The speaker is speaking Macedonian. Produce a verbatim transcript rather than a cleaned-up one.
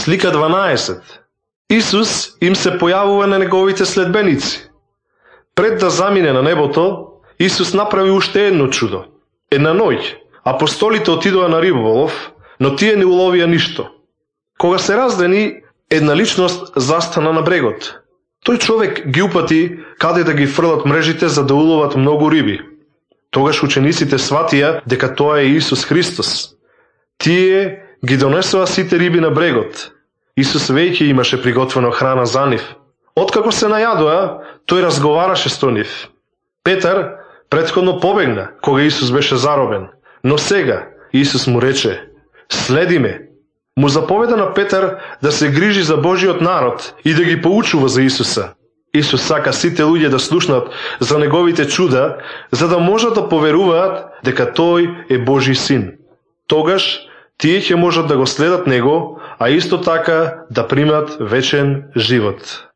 Слика дванаесет. Исус им се појавува на неговите следбеници. Пред да замине на небото, Исус направи уште едно чудо. Една ноќ, апостолите отидоа на риболов, но тие не уловија ништо. Кога се раздени, една личност застана на брегот. Тој човек ги упати каде да ги фрлат мрежите за да уловат многу риби. Тогаш учениците сватија дека тоа е Исус Христос. Тие ги донесоа сите риби на брегот. Исус веќе имаше приготвено храна за нив. Откако се најадоа, тој разговараше со нив. Петар претходно побегна, кога Исус беше заробен. Но сега Исус му рече: "Следи ме." Му заповеда на Петар да се грижи за Божиот народ и да ги поучува за Исуса. Исус сака сите луѓе да слушнат за неговите чуда, за да можат да поверуваат дека тој е Божи син. Тогаш тие ќе можат да го следат него, а исто така да примат вечен живот.